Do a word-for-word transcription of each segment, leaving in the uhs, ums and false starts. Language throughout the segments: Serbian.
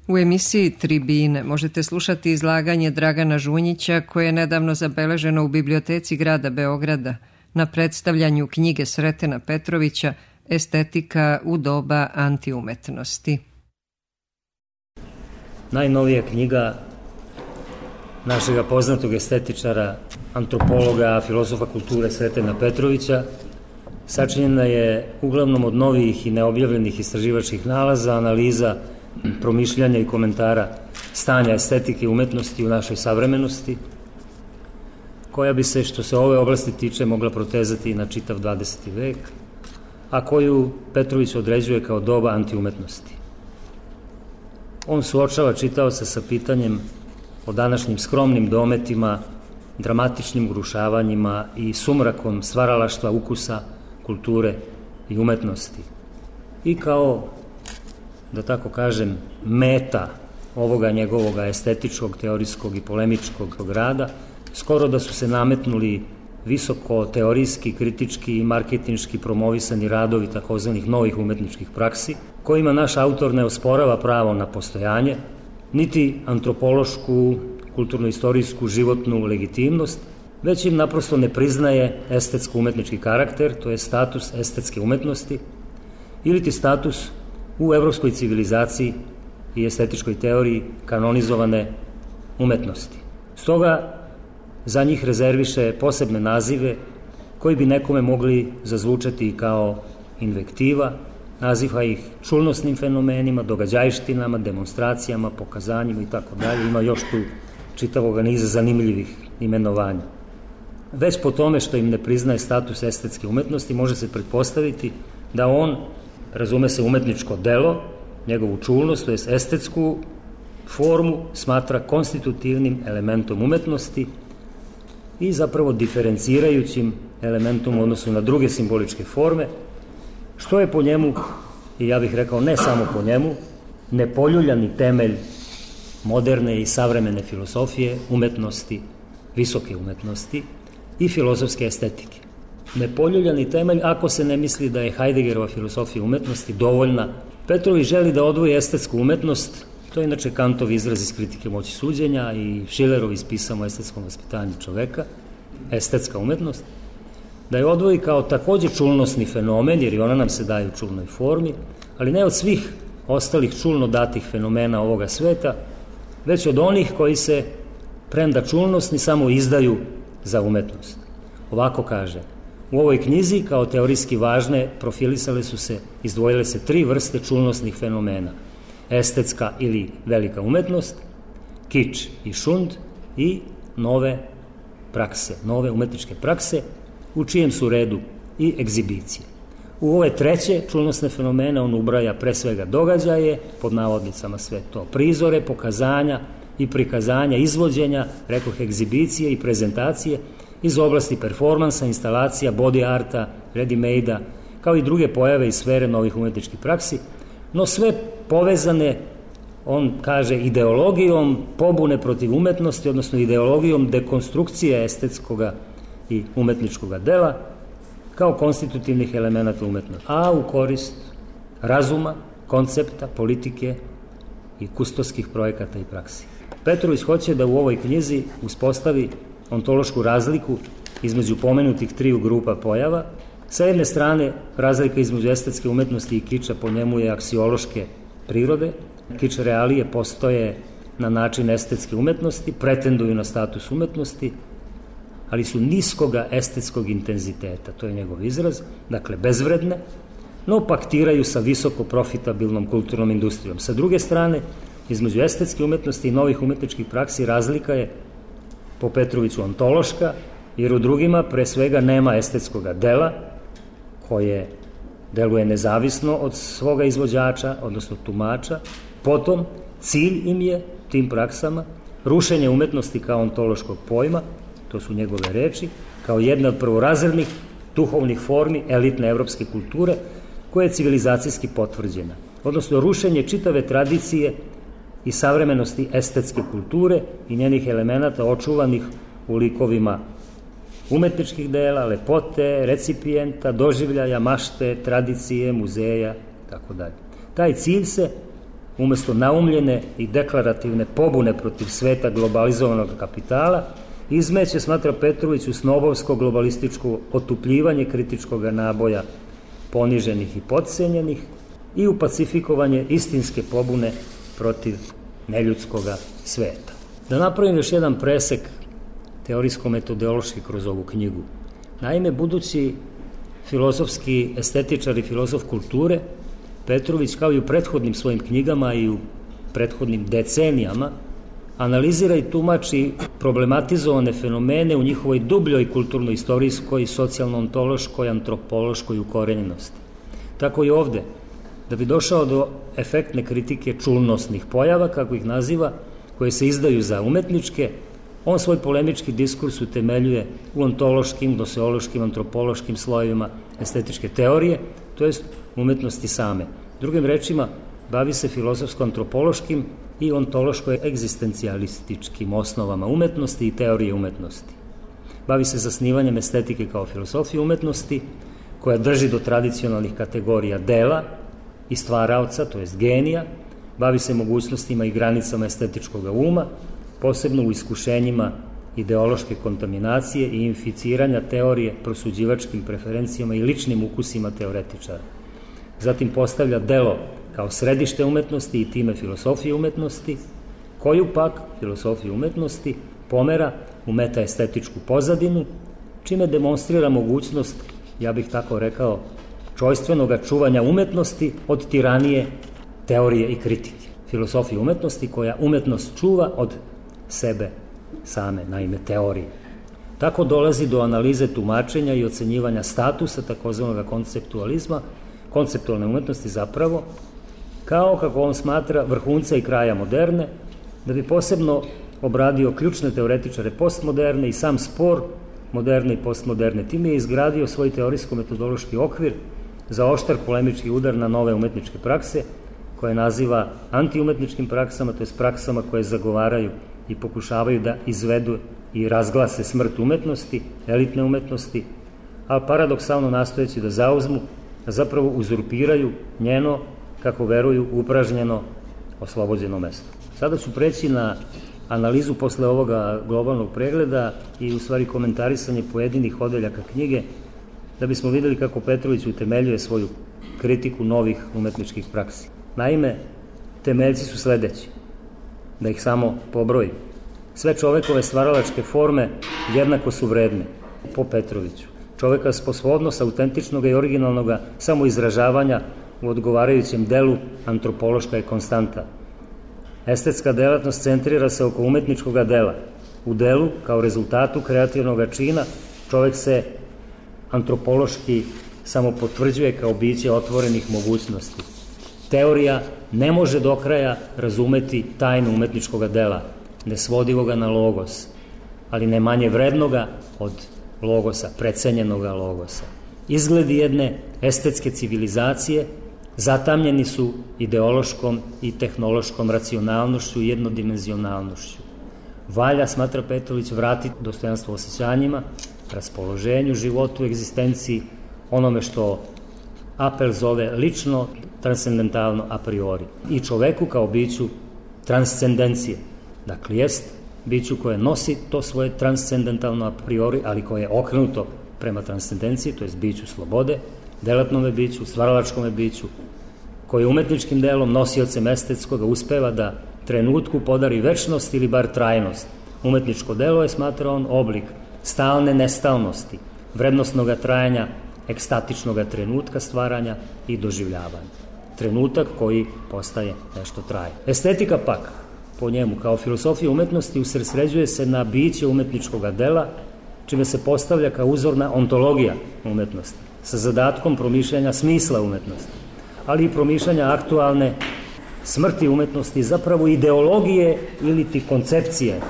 U emisiji Tribine možete slušati izlaganje Dragana Žunjića koje je nedavno zabeleženo u Biblioteci grada Beograda na predstavljanju knjige Sretena Petrovića Estetika u doba antiumetnosti. Najnovija knjiga našega poznatog estetičara, antropologa, filozofa kulture Sretena Petrovića sačinjena je uglavnom od novih i neobjavljenih istraživačkih nalaza, analiza, promišljanja i komentara stanja estetike i umetnosti u našoj savremenosti, koja bi se, što se ove oblasti tiče, mogla protezati na čitav dvadeseti vek, a koju Petrović određuje kao doba antiumetnosti. On suočava čitaoca sa pitanjem o današnjim skromnim dometima, dramatičnim urušavanjima i sumrakom stvaralaštva, ukusa, kulture i umetnosti. I kao, da tako kažem, meta ovoga njegovoga estetičkog, teorijskog i polemičkog rada, skoro da su se nametnuli visoko teorijski, kritički i marketinški promovisani radovi takozvanih novih umetničkih praksi, kojima naš autor ne osporava pravo na postojanje, niti antropološku, kulturno-istorijsku, životnu legitimnost, već im naprosto ne priznaje estetsko-umetnički karakter, to je status estetske umetnosti, ili ti status u evropskoj civilizaciji i estetičkoj teoriji kanonizovane umetnosti. Stoga za njih rezerviše posebne nazive koji bi nekome mogli zazvučati kao invektiva, naziva ih čulnosnim fenomenima, događajštinama, demonstracijama, pokazanjima i tako dalje. Ima još tu čitavog niza zanimljivih imenovanja. Već po tome što im ne priznaje status estetske umetnosti može se pretpostaviti da on, razume se, umetničko delo, njegovu čulnost, to je estetsku formu, smatra konstitutivnim elementom umetnosti i zapravo diferencirajućim elementom u odnosu na druge simboličke forme, što je po njemu, i ja bih rekao ne samo po njemu, nepoljuljani temelj moderne i savremene filosofije, umetnosti, visoke umetnosti i filozofske estetike. Nepoljuljani temelj ako se ne misli da je Heideggerova filosofija umetnosti dovoljna. Petrović želi da odvoji estetsku umetnost, to je inače Kantov izraz iz Kritike moći suđenja i Schillerov iz Pisama o estetskom vaspitanju čoveka, estetska umetnost, da je odvoji kao takođe čulnosni fenomen, jer i ona nam se daje u čulnoj formi, ali ne od svih ostalih čulno datih fenomena ovoga sveta, već od onih koji se, premda čulnosni, samo izdaju za umetnost. Ovako kaže: u ovoj knjizi kao teorijski važne profilisale su se, izdvojile se tri vrste čulnosnih fenomena: estetska ili velika umetnost, kič i šund i nove prakse, nove umetničke prakse, u čijem su redu i egzibicije. U ove treće čulnosne fenomene on ubraja pre svega događaje, pod navodnicama sve to, prizore, pokazanja i prikazanja, izvođenja, rekoh egzibicije i prezentacije iz oblasti performansa, instalacija, body arta, ready-made-a, kao i druge pojave iz sfere novih umetničkih praksi, no sve povezane, on kaže, ideologijom pobune protiv umetnosti, odnosno ideologijom dekonstrukcije estetskoga i umetničkoga dela kao konstitutivnih elemenata umetnosti, a u korist razuma, koncepta, politike i kustoskih projekata i praksi. Petrović hoće da u ovoj knjizi uspostavi ontološku razliku između pomenutih triju grupa pojava. Sa jedne strane, razlika između estetske umetnosti i kiča po njemu je aksiološke prirode. Kič realije postoje na način estetske umetnosti, pretenduju na status umetnosti, ali su niskoga estetskog intenziteta, to je njegov izraz, dakle bezvredne, no paktiraju sa visoko profitabilnom kulturnom industrijom. Sa druge strane, između estetske umetnosti i novih umetničkih praksi razlika je po Petroviću ontološka, jer u drugima pre svega nema estetskoga dela koje deluje nezavisno od svoga izvođača, odnosno tumača. Potom, cilj im je, tim praksama, rušenje umetnosti kao ontološkog pojma, to su njegove reči, kao jedna od prvorazrednih duhovnih formi elitne evropske kulture koja je civilizacijski potvrđena, odnosno rušenje čitave tradicije i savremenosti estetske kulture i njenih elemenata očuvanih u likovima umetničkih dela, lepote, recipijenta, doživljaja, mašte, tradicije, muzeja, tako dalje. Taj cilj se umesto naumljene i deklarativne pobune protiv sveta globalizovanog kapitala, izmeće, smatra Petrović, u snobovsko globalističko otupljivanje kritičkog naboja poniženih i podcenjenih i u pacifikovanje istinske pobune protiv neljudskog sveta. Da napravim još jedan presek teorijsko-metodološki kroz ovu knjigu. Naime, budući filozofski estetičar i filozof kulture, Petrović, kao i u prethodnim svojim knjigama i u prethodnim decenijama, analizira i tumači problematizovane fenomene u njihovoj dubljoj kulturno-istorijskoj, socijalno-ontološkoj, antropološkoj ukorenjenosti. Tako i ovde, da bi došao do efektne kritike čulnosnih pojava, kako ih naziva, koje se izdaju za umetničke, on svoj polemički diskurs utemeljuje u ontološkim, doseološkim, antropološkim slojevima estetičke teorije, to jest umetnosti same. Drugim rečima, bavi se filozofsko-antropološkim i ontološko-egzistencijalističkim osnovama umetnosti i teorije umetnosti. Bavi se zasnivanjem estetike kao filosofije umetnosti, koja drži do tradicionalnih kategorija dela i stvaraoca, to jest genija, bavi se mogućnostima i granicama estetičkog uma, posebno u iskušenjima ideološke kontaminacije i inficiranja teorije prosuđivačkim preferencijama i ličnim ukusima teoretičara. Zatim postavlja delo kao središte umetnosti i time filosofije umetnosti, koju pak filosofiju umetnosti pomera u metaestetičku pozadinu, čime demonstrira mogućnost, ja bih tako rekao, čojstvenog čuvanja umetnosti od tiranije teorije i kritike. Filosofija umetnosti koja umetnost čuva od sebe same, naime teorije. Tako dolazi do analize tumačenja i ocenjivanja statusa takozvanog konceptualizma, konceptualne umetnosti zapravo, kao, kako on smatra, vrhunca i kraja moderne, da bi posebno obradio ključne teoretičare postmoderne i sam spor moderne i postmoderne. Time je izgradio svoj teorijsko-metodološki okvir za oštar polemički udar na nove umetničke prakse, koje naziva antiumetničkim praksama, to je praksama koje zagovaraju i pokušavaju da izvedu i razglase smrt umetnosti, elitne umetnosti, ali paradoksalno nastojeći da zauzmu, da zapravo uzurpiraju njeno, kako veruju, upražnjeno, oslobođeno mesto. Sada ću preći na analizu posle ovoga globalnog pregleda i u stvari komentarisanje pojedinih odeljaka knjige, da bismo videli kako Petrović utemeljuje svoju kritiku novih umetničkih praksi. Naime, temeljci su sledeći, da ih samo pobrojim. Sve čovekove stvaralačke forme jednako su vredne, po Petroviću. Čoveka sposobnost autentičnog i originalnog samoizražavanja u odgovarajućem delu antropološka je konstanta. Estetska delatnost centrira se oko umetničkog dela. U delu, kao rezultatu kreativnog čina, čovek se antropološki samo potvrđuje kao biće otvorenih mogućnosti. Teorija ne može do kraja razumeti tajnu umetničkog dela, nesvodivoga na logos, ali ne manje vrednoga od logosa, precenjenoga logosa. Izgledi jedne estetske civilizacije zatamljeni su ideološkom i tehnološkom racionalnošću i jednodimenzionalnošću. Valja, smatra Petrović, vratiti dostojanstvo osjećanjima, raspoloženju, životu, egzistenciji, onome što Apel zove lično, transcendentalno a priori. I čoveku kao biću transcendencije. Dakle, jest biću koje nosi to svoje transcendentalno a priori, ali koje je okrenuto prema transcendenciji, to jest biću slobode, delatnome biću, stvaralačkome biću, koji umetničkim delom, nosiocem estetskoga, uspeva da trenutku podari večnost ili bar trajnost. Umetničko delo je, smatra on, oblik stalne nestalnosti, vrednostnog trajanja, ekstatičnog trenutka stvaranja i doživljavanja. Trenutak koji postaje nešto trajno. Estetika pak, po njemu, kao filosofija umetnosti, usredsređuje se na biće umetničkog dela, čime se postavlja kao uzorna ontologija umetnosti, sa zadatkom promišljanja smisla umetnosti, ali i promišljanja aktualne smrti umetnosti, zapravo ideologije ili ti koncepcije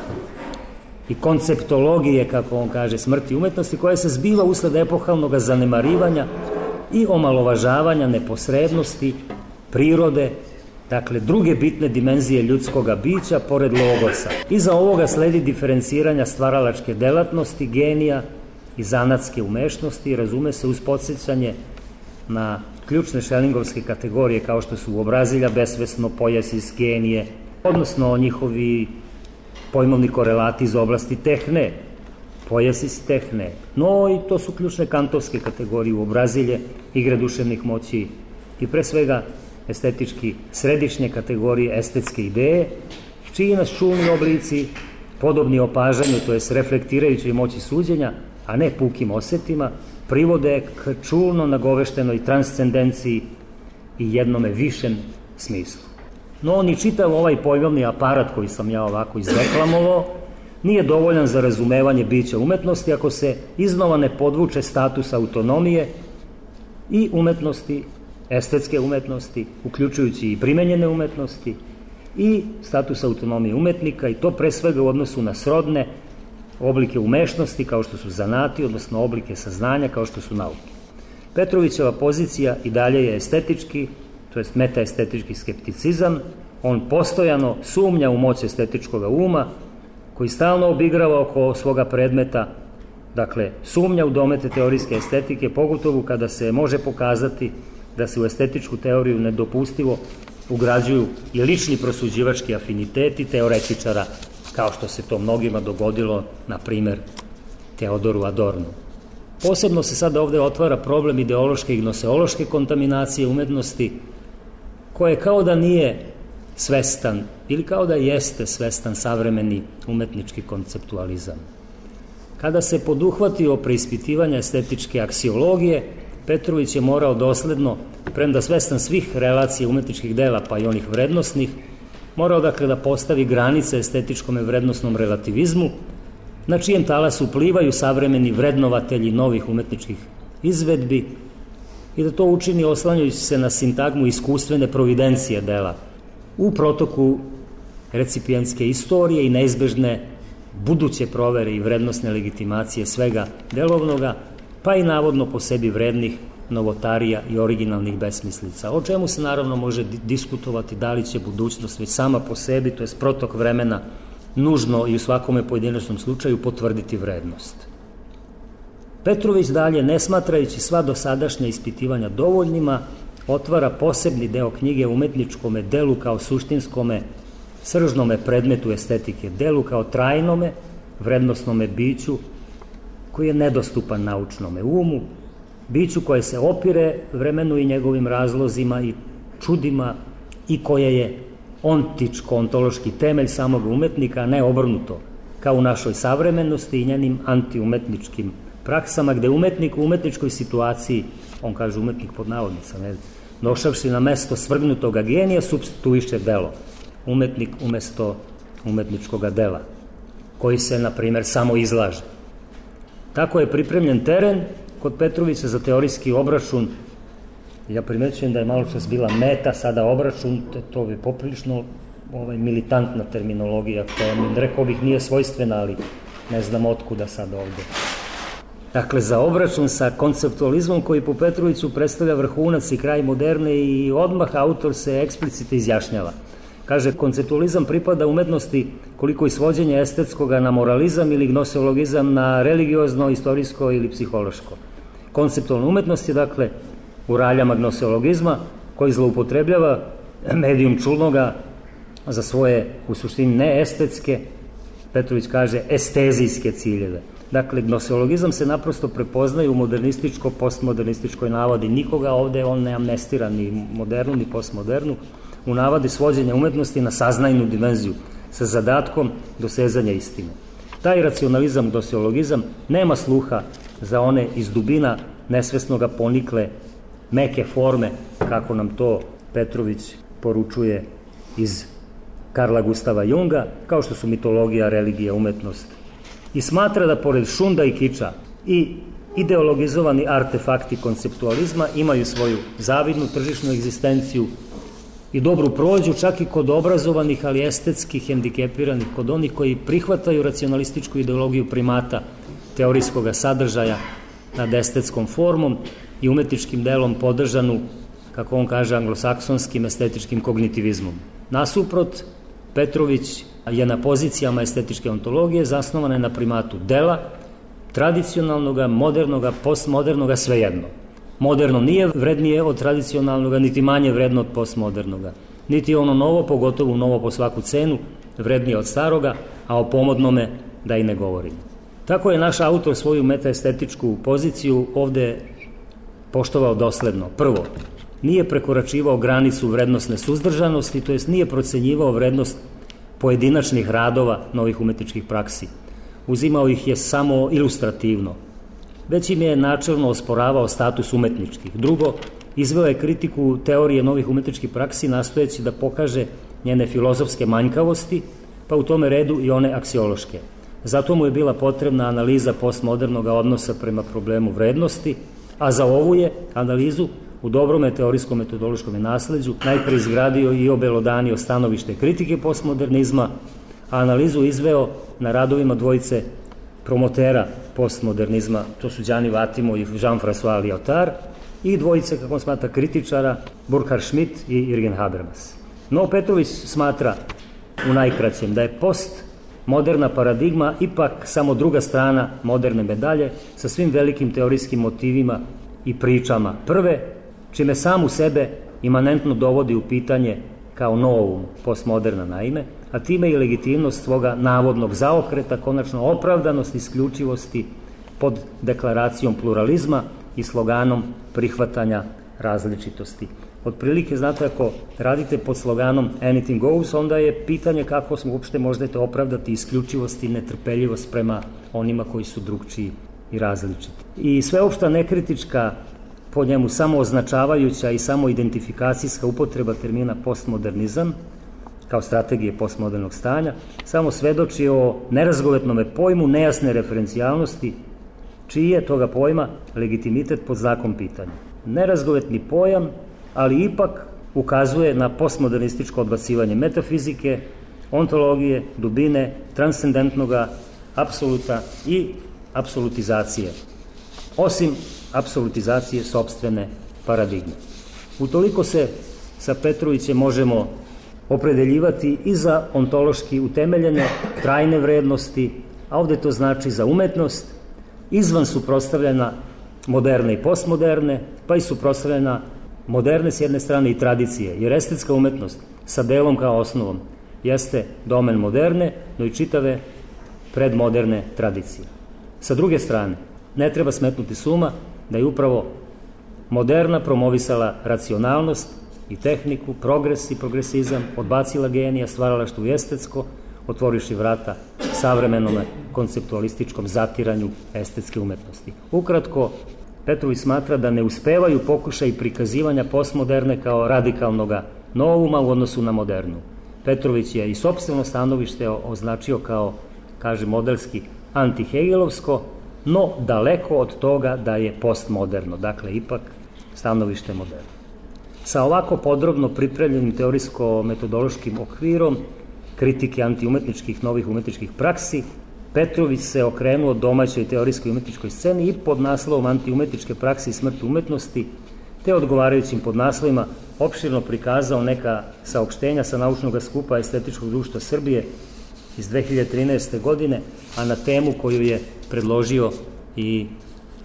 i konceptologije, kako on kaže, smrti umetnosti, koja se zbiva usled epohalnog zanemarivanja i omalovažavanja neposrednosti, prirode, dakle druge bitne dimenzije ljudskog bića pored logosa. Iza ovoga sledi diferenciranja stvaralačke delatnosti, genija i zanatske umešnosti, razume se uz podsjećanje na ključne šelingovske kategorije kao što su obrazilja, besvesno, pojasis, genije, odnosno njihovi pojmovni korelati iz oblasti tehne, pojasis tehne. No i to su ključne kantovske kategorije u obrazilje, igre duševnih moći i pre svega estetički središnje kategorije estetske ideje, čiji nas čulni oblici, podobni opažanju, to jest reflektirajućoj moći suđenja, a ne pukim osetima, privode k čulno nagoveštenoj transcendenciji i jednome višem smislu. No, ni čitav ovaj pojmovni aparat koji sam ja ovako izdeklamovao nije dovoljan za razumevanje bića umetnosti ako se iznova ne podvuče status autonomije i umetnosti, estetske umetnosti, uključujući i primenjene umetnosti, i status autonomije umetnika, i to pre svega u odnosu na srodne oblike umešnosti kao što su zanati, odnosno oblike saznanja kao što su nauke. Petrovićeva pozicija i dalje je estetički, to jest metaestetički skepticizam. On postojano sumnja u moć estetičkog uma, koji stalno obigrava oko svoga predmeta, dakle sumnja u domete teorijske estetike, pogotovo kada se može pokazati da se u estetičku teoriju nedopustivo ugrađuju i lični prosuđivački afiniteti teoretičara, kao što se to mnogima dogodilo, na primer, Teodoru Adornu. Posebno se sada ovde otvara problem ideološke i gnoseološke kontaminacije umetnosti, koje kao da nije svestan, ili kao da jeste svestan savremeni umetnički konceptualizam. Kada se poduhvatio preispitivanja estetičke aksiologije, Petrović je morao dosledno, premda svestan svih relacija umetničkih dela, pa i onih vrednosnih, morao dakle da postavi granice estetičkom i vrednosnom relativizmu, na čijem talasu plivaju savremeni vrednovatelji novih umetničkih izvedbi, i da to učini oslanjajući se na sintagmu iskustvene providencije dela u protoku recipijentske istorije i neizbežne buduće provere i vrednosne legitimacije svega delovnoga, pa i navodno po sebi vrednih novotarija i originalnih besmislica, o čemu se naravno može diskutovati da li će budućnost već sama po sebi, to je protok vremena, nužno i u svakome pojedinačnom slučaju potvrditi vrednost. Petrović dalje, ne smatrajući sva dosadašnja ispitivanja dovoljnima, otvara posebni deo knjige umetničkome delu kao suštinskome, sržnome predmetu estetike, delu kao trajnome, vrednosnome biću, koji je nedostupan naučnome umu, biću koje se opire vremenu i njegovim razlozima i čudima i koje je ontičko-ontološki temelj samog umetnika, a ne obrnuto, kao u našoj savremenosti i njenim antiumetničkim praksama, gde umetnik u umetničkoj situaciji, on kaže umetnik pod navodnicama, ne, došavši na mesto svrgnutoga genija, supstituiše delo. Umetnik umesto umetničkoga dela, koji se, na primer, samo izlaže. Tako je pripremljen teren kod Petrovića za teorijski obračun. Ja primećujem da je malo čas bila meta, sada obračun, to je poprilično ovaj, militantna terminologija, koja mi, rekao bih, nije svojstvena, ali ne znam otkuda sad ovde. Dakle, za obračun sa konceptualizmom koji po Petroviću predstavlja vrhunac i kraj moderne, i odmah autor se eksplicite izjašnjava. Kaže, konceptualizam pripada umetnosti koliko i svođenje estetskoga na moralizam ili gnoseologizam na religiozno, istorijsko ili psihološko. Konceptualna umetnost je, dakle, u raljama gnoseologizma, koji zloupotrebljava medijum čulnoga za svoje, u suštini, neestetske, Petrović kaže, estezijske ciljeve. Dakle, gnoseologizam se naprosto prepoznaje u modernističko, postmodernističkoj navodi. Nikoga ovde on ne amnestira ni modernu, ni postmodernu, u navadi svođenja umetnosti na saznajnu dimenziju, sa zadatkom dosezanja istine. Taj racionalizam, gnoseologizam, nema sluha za one iz dubina nesvesnoga ponikle meke forme, kako nam to Petrović poručuje iz Karla Gustava Junga, kao što su mitologija, religija, umetnost. I smatra da pored šunda i kiča i ideologizovani artefakti konceptualizma imaju svoju zavidnu tržišnu egzistenciju i dobru prođu čak i kod obrazovanih, ali estetski hendikepiranih, kod onih koji prihvataju racionalističku ideologiju primata teorijskog sadržaja nad estetskom formom i umetničkim delom podržanu, kako on kaže, anglosaksonskim estetičkim kognitivizmom. Nasuprot, Petrović je na pozicijama estetičke ontologije zasnovane na primatu dela, tradicionalnoga, modernoga, postmodernoga, svejedno. moderno nije vrednije od tradicionalnoga, niti manje vredno od postmodernoga. Niti ono novo, pogotovo novo po svaku cenu, vrednije od staroga, a o pomodnome da i ne govorimo. Tako je naš autor svoju metaestetičku poziciju ovde poštovao dosledno. Prvo, nije prekoračivao granicu vrednostne suzdržanosti, to jest nije procenjivao vrednost pojedinačnih radova novih umetničkih praksi. Uzimao ih je samo ilustrativno, već im je načelno osporavao status umetničkih. Drugo, izveo je kritiku teorije novih umetničkih praksi nastojeći da pokaže njene filozofske manjkavosti, pa u tome redu i one aksiološke. Zato mu je bila potrebna analiza postmodernog odnosa prema problemu vrednosti, a za ovu je analizu u dobrome teorijskom metodološkom nasleđu najpre izgradio i obelodanio stanovište kritike postmodernizma, a analizu izveo na radovima dvojice promotera postmodernizma, to su Gianni Vattimo i Jean-François Lyotard, i dvojice, kako on smatra, kritičara, Burkhard Schmidt i Jürgen Habermas. No, Petrović smatra u najkraćem da je postmoderna paradigma ipak samo druga strana moderne medalje sa svim velikim teorijskim motivima i pričama prve, čime sam u sebe imanentno dovodi u pitanje kao novum postmoderna naime, a time i legitimnost svoga navodnog zaokreta, konačno opravdanost isključivosti pod deklaracijom pluralizma i sloganom prihvatanja različitosti. Otprilike, znate, ako radite pod sloganom anything goes, onda je pitanje kako smo uopšte možete opravdati isključivost i netrpeljivost prema onima koji su drugčiji i različiti. I sveopšta nekritička, po njemu samo označavajuća i samo identifikacijska upotreba termina postmodernizam kao strategije postmodernog stanja samo svedoči o nerazgovetnome pojmu nejasne referencijalnosti, čiji je toga pojma legitimitet pod znakom pitanja. Nerazgovetni pojam, ali ipak ukazuje na postmodernističko odbacivanje metafizike, ontologije, dubine, transcendentnoga, apsoluta i apsolutizacije, osim apsolutizacije sopstvene paradigme. Utoliko se sa Petrovićem možemo opredeljivati i za ontološki utemeljene trajne vrednosti, a ovde to znači za umetnost, izvan suprotstavljena moderne i postmoderne, pa i suprotstavljena moderne s jedne strane i tradicije, jer estetska umetnost sa delom kao osnovom jeste domen moderne, no i čitave predmoderne tradicije. Sa druge strane, ne treba smetnuti s uma da je upravo moderna promovisala racionalnost i tehniku, progres i progresizam, odbacila genija, stvaralaštvo i estetsko, otvoriši vrata savremenom konceptualističkom zatiranju estetske umetnosti. Ukratko, Petrović smatra da ne uspevaju pokušaj prikazivanja postmoderne kao radikalnoga novuma u odnosu na modernu. Petrović je i sopstveno stanovište označio kao, kaže, modelski antihegelovsko, no daleko od toga da je postmoderno, dakle ipak stanovište moderno. Sa ovako podrobno pripremljenim teorijsko-metodološkim okvirom kritike antiumetničkih novih umetničkih praksi, Petrović se okrenuo domaćoj teorijskoj umetničkoj sceni i pod naslovom Antiumetničke prakse i smrt umetnosti, te odgovarajućim podnaslovima opširno prikazao neka saopštenja sa naučnog skupa Estetičkog društva Srbije iz dve hiljade trinaeste. godine, a na temu koju je predložio i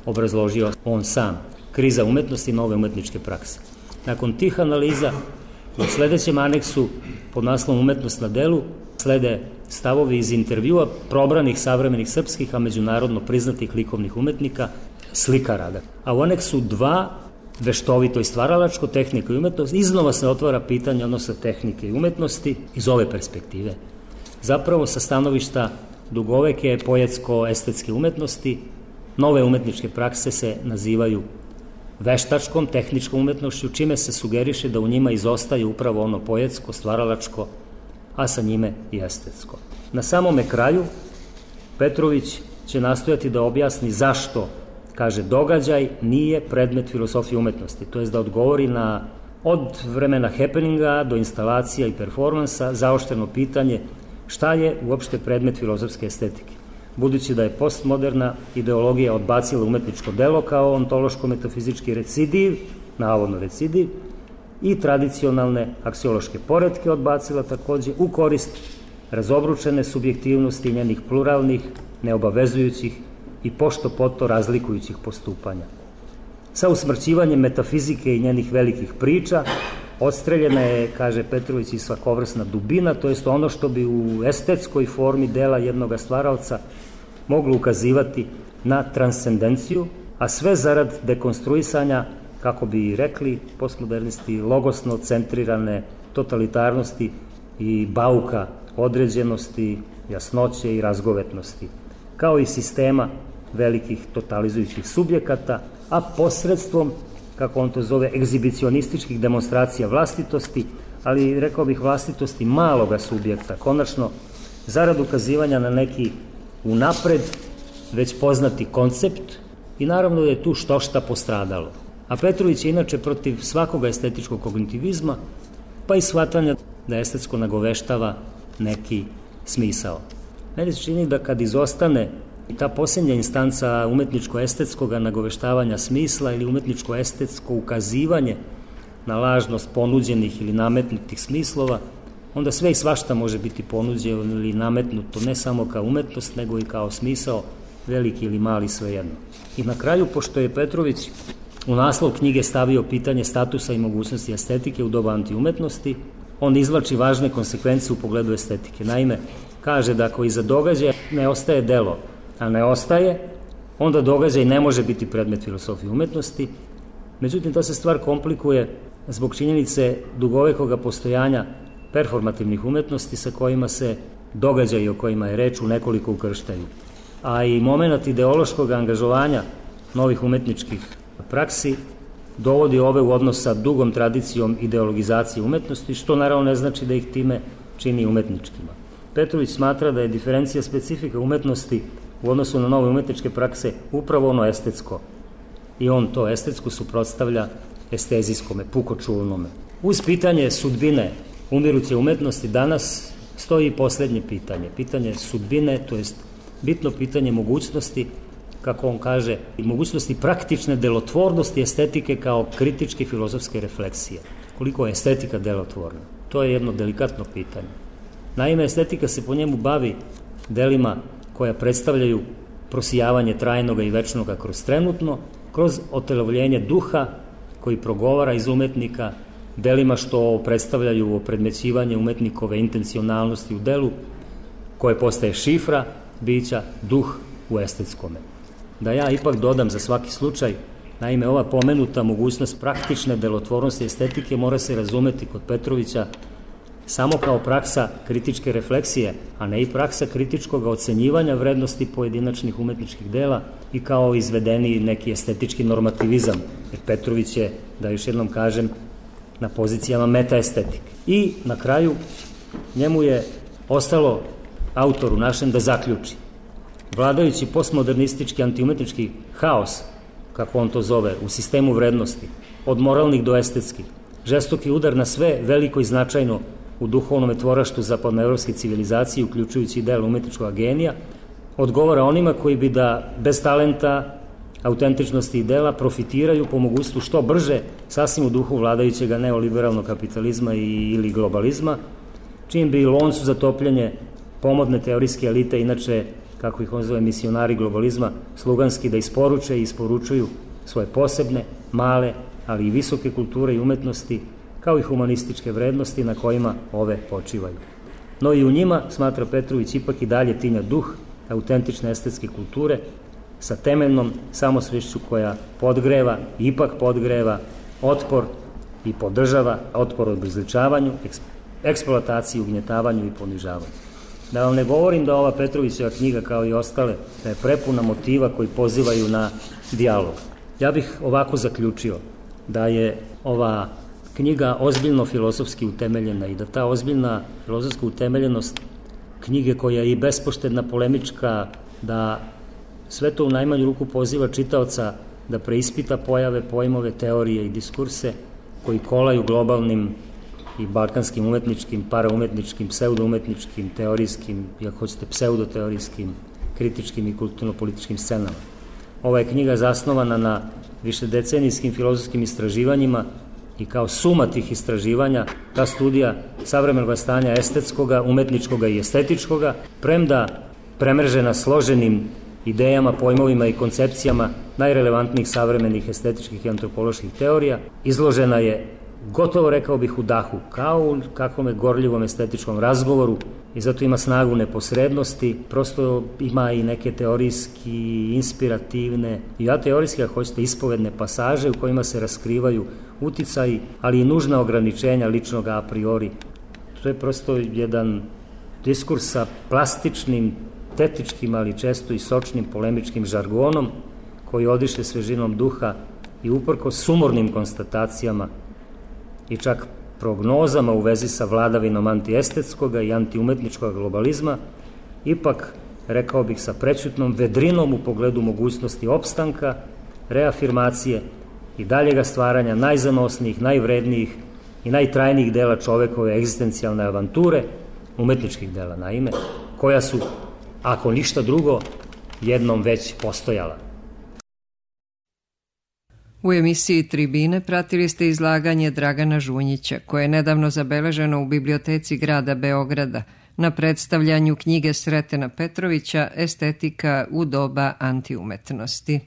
obrazložio on sam, kriza umetnosti i nove umetničke prakse. Nakon tih analiza, u sledećem aneksu pod naslovom Umetnost na delu slede stavovi iz intervjua probranih savremenih srpskih, a međunarodno priznatih likovnih umetnika, slikara. A u aneksu dva, veštovito i stvaralačko, tehnika i umetnost, iznova se otvara pitanje odnosa tehnike i umetnosti iz ove perspektive. Zapravo sa stanovišta dugoveke poetsko-estetske umetnosti, nove umetničke prakse se nazivaju veštačkom, tehničkom umetnošću, čime se sugeriše da u njima izostaje upravo ono poetsko, stvaralačko, a sa njime i estetsko. Na samome kraju Petrović će nastojati da objasni zašto, kaže, događaj nije predmet filosofije umetnosti, to jest da odgovori na od vremena happeninga do instalacija i performansa zaoštreno pitanje šta je uopšte predmet filozofske estetike. Budući da je postmoderna ideologija odbacila umetničko delo kao ontološko-metafizički recidiv, navodno recidiv, i tradicionalne aksiološke poretke odbacila takođe u korist razobručene subjektivnosti njenih pluralnih, neobavezujućih i pošto poto razlikujućih postupanja. sa usmrćivanjem metafizike i njenih velikih priča. Odstreljena je, kaže Petrović, i svakovrsna dubina, to jest ono što bi u estetskoj formi dela jednog stvaraoca moglo ukazivati na transcendenciju, a sve zarad dekonstruisanja, kako bi rekli postmodernisti, logosno centrirane totalitarnosti i bauka određenosti, jasnoće i razgovetnosti, kao i sistema velikih totalizujućih subjekata, a posredstvom, kako on to zove, egzibicionističkih demonstracija vlastitosti, ali rekao bih vlastitosti maloga subjekta, konačno zarad ukazivanja na neki unapred već poznati koncept i naravno da je tu što šta postradalo. A Petrović je inače protiv svakoga estetičkog kognitivizma, pa i shvatanja da estetsko nagoveštava neki smisao. Meni se čini da kad izostane ta posljednja instanca umetničko-estetskog nagoveštavanja smisla ili umetničko-estetsko ukazivanje na lažnost ponuđenih ili nametnutih smislova, onda sve i svašta može biti ponuđeno ili nametnuto ne samo kao umetnost, nego i kao smisao, veliki ili mali, svejedno. I na kraju, pošto je Petrović u naslov knjige stavio pitanje statusa i mogućnosti estetike u doba antiumetnosti, on izvlači važne konsekvence u pogledu estetike. Naime, kaže da ako iza događaja ne ostaje delo, a ne ostaje, onda događaj ne može biti predmet filosofije umetnosti. Međutim, ta se stvar komplikuje zbog činjenice dugovekoga postojanja performativnih umetnosti sa kojima se događaji o kojima je reč u nekoliko ukrštaju. A i moment ideološkog angažovanja novih umetničkih praksi dovodi ove u odnos sa dugom tradicijom ideologizacije umetnosti, što naravno ne znači da ih time čini umetničkima. Petrović smatra da je diferencija specifika umetnosti u odnosu na nove umetničke prakse upravo ono estetsko. I on to estetsko suprotstavlja estezijskome, pukočulnome. Uz pitanje sudbine umiruće umetnosti danas stoji poslednje pitanje. Pitanje sudbine, to jest bitno pitanje mogućnosti, kako on kaže, i mogućnosti praktične delotvornosti estetike kao kritičke filozofske refleksije. Koliko je estetika delotvorna? To je jedno delikatno pitanje. Naime, estetika se po njemu bavi delima koja predstavljaju prosijavanje trajnoga i večnoga kroz trenutno, kroz otelovljenje duha koji progovara iz umetnika, delima što predstavljaju opredmećivanje umetnikove intencionalnosti u delu, koje postaje šifra bića, duh u estetskome. Da ja ipak dodam za svaki slučaj, naime, ova pomenuta mogućnost praktične delotvornosti estetike mora se razumeti kod Petrovića samo kao praksa kritičke refleksije, a ne i praksa kritičkog ocenjivanja vrednosti pojedinačnih umetničkih dela i kao izvedeni neki estetički normativizam. Jer Petrović je, da još jednom kažem, na pozicijama metaestetike. I na kraju njemu je ostalo, autoru našem, da zaključi. Vladajući postmodernistički antiumetnički haos, kako on to zove, u sistemu vrednosti, od moralnih do estetskih, žestoki udar na sve veliko i značajno u duhovnom tvoraštu zapadnoevropske civilizacije, uključujući ideal umetničkog genija, odgovara onima koji bi da bez talenta, autentičnosti i dela profitiraju po mogućstvu što brže, sasvim u duhu vladajućeg neoliberalnog kapitalizma i, ili globalizma, čim bi loncu za topljenje pomodne teorijske elite, inače, kako ih on zove, misionari globalizma, sluganski da isporuče i isporučuju svoje posebne, male, ali i visoke kulture i umetnosti, kao i humanističke vrednosti na kojima ove počivaju. No i u njima, smatra Petrović, ipak i dalje tinja duh autentične estetske kulture sa temeljnom samosvešću koja podgreva, ipak podgreva otpor i podržava otpor obezličavanju, eksploataciji, ugnjetavanju i ponižavanju. Da vam ne govorim da ova Petrovićeva knjiga, kao i ostale, da je prepuna motiva koji pozivaju na dijalog. Ja bih ovako zaključio da je ova knjiga ozbiljno filozofski utemeljena i da ta ozbiljna filozofska utemeljenost knjige, koja je i bespoštedna, polemička, da sve to u najmanju ruku poziva čitaoca da preispita pojave, pojmove, teorije i diskurse koji kolaju globalnim i balkanskim umetničkim, paraumetničkim, pseudoumetničkim, teorijskim, i ako hoćete pseudoteorijskim, kritičkim i kulturno-političkim scenama. Ova je knjiga zasnovana na višedecenijskim filozofskim istraživanjima i kao suma tih istraživanja, ta studija savremenog stanja estetskoga, umetničkoga i estetičkoga, premda premržena složenim idejama, pojmovima i koncepcijama najrelevantnijih savremenih estetičkih i antropoloških teorija. Izložena je, gotovo rekao bih, u dahu, kao u kakvom je gorljivom estetičkom razgovoru i zato ima snagu neposrednosti, prosto ima i neke teorijski, inspirativne i ateorijske, ako hoćete, ispovedne pasaže u kojima se raskrivaju uticaji, ali i nužna ograničenja ličnog a priori. To je prosto jedan diskurs sa plastičnim, tetičkim, ali često i sočnim polemičkim žargonom koji odiše svežinom duha i uprkos sumornim konstatacijama i čak prognozama u vezi sa vladavinom antiestetskog i antiumetničkog globalizma, ipak, rekao bih, sa prećutnom vedrinom u pogledu mogućnosti opstanka, reafirmacije i daljega stvaranja najzanosnijih, najvrednijih i najtrajnijih dela čovekove egzistencijalne avanture, umetničkih dela naime, koja su, ako ništa drugo, jednom već postojala. U emisiji Tribine pratili ste izlaganje Dragana Žunjića, koje je nedavno zabeleženo u Biblioteci grada Beograda na predstavljanju knjige Sretena Petrovića Estetika u doba antiumetnosti.